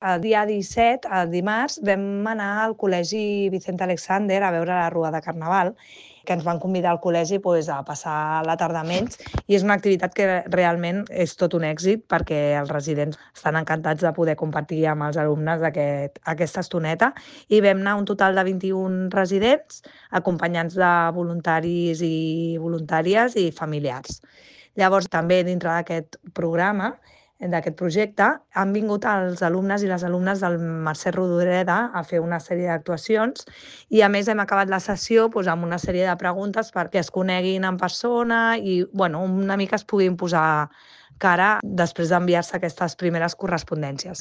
El dia 17, el dimarts, vam anar al Col·legi Vicente Alexander a veure la Rua de Carnaval, que ens van convidar al col·legi a passar la tarda amb ells, i és una activitat que realment és tot un èxit perquè els residents estan encantats de poder compartir amb els alumnes aquesta estoneta, i vam anar un total de 21 residents acompanyats de voluntaris i voluntàries i familiars. Llavors, també dintre d'aquest programa, d'aquest projecte, han vingut els alumnes i les alumnes del Mercè Rodoreda a fer una sèrie d'actuacions i, a més, hem acabat la sessió amb una sèrie de preguntes perquè es coneguin en persona i una mica es puguin posar cara després d'enviar-se aquestes primeres correspondències.